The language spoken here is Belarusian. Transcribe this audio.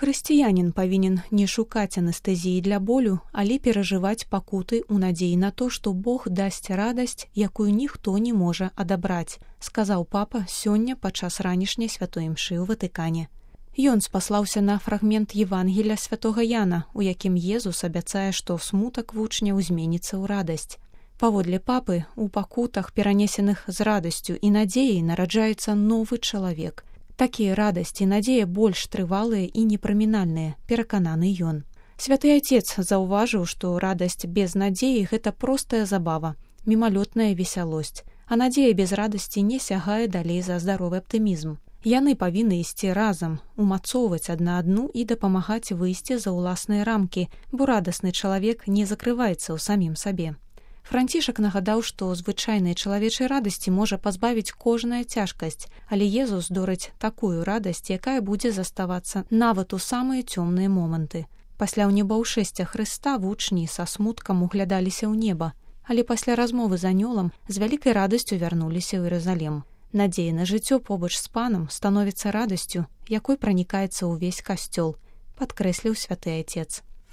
Хрысціянін павінен не шукаць анестэзіі для болю, але перажываць пакуты ў надзеі на то, што Бог дасць радасць, якую ніхто не можа адабраць, сказаў папа сёння падчас ранішняй святой імшы ў Ватыкане. Ён спаслаўся на фрагмент Евангелля святога Яна, у якім Езус абяцае, што смутак вучняў зменіцца ў радасць. Паводле папы, у пакутах, перанесеных з радасцю і надзеяй, нараджаецца новы чалавек. Такія радасць і надзея больш трывалыя і непрамінальныя, перакананы ён. Святы Отец заўважыў, што радасць без надзеі – гэта простая забава, мімалётная весялосць, а надзея без радасці не сягае далей за здаровы аптымізм. Яны павінны ісці разам, умацоўваць адна адну і дапамагаць выйсці за ўласныя рамкі, бо радасны чалавек не закрываецца ў самім сабе. Францішак нагадаў, што звычайнай чалавечай радасці можа пазбавіць кожная цяжкасць, але Езус дорыць такую радасць, якая будзе заставацца нават у самыя цёмныя моманты. Пасля ўнебаўшэсця Хрыста вучні са смуткам углядаліся ў неба, але пасля размовы з анёлам з вялікай радасцю вярнуліся ў Іерусалім. Надзея на жыццё побач з панам становіцца радасцю, якой пранікаецца ўвесь касцёл, падкрэсліў святы Отец.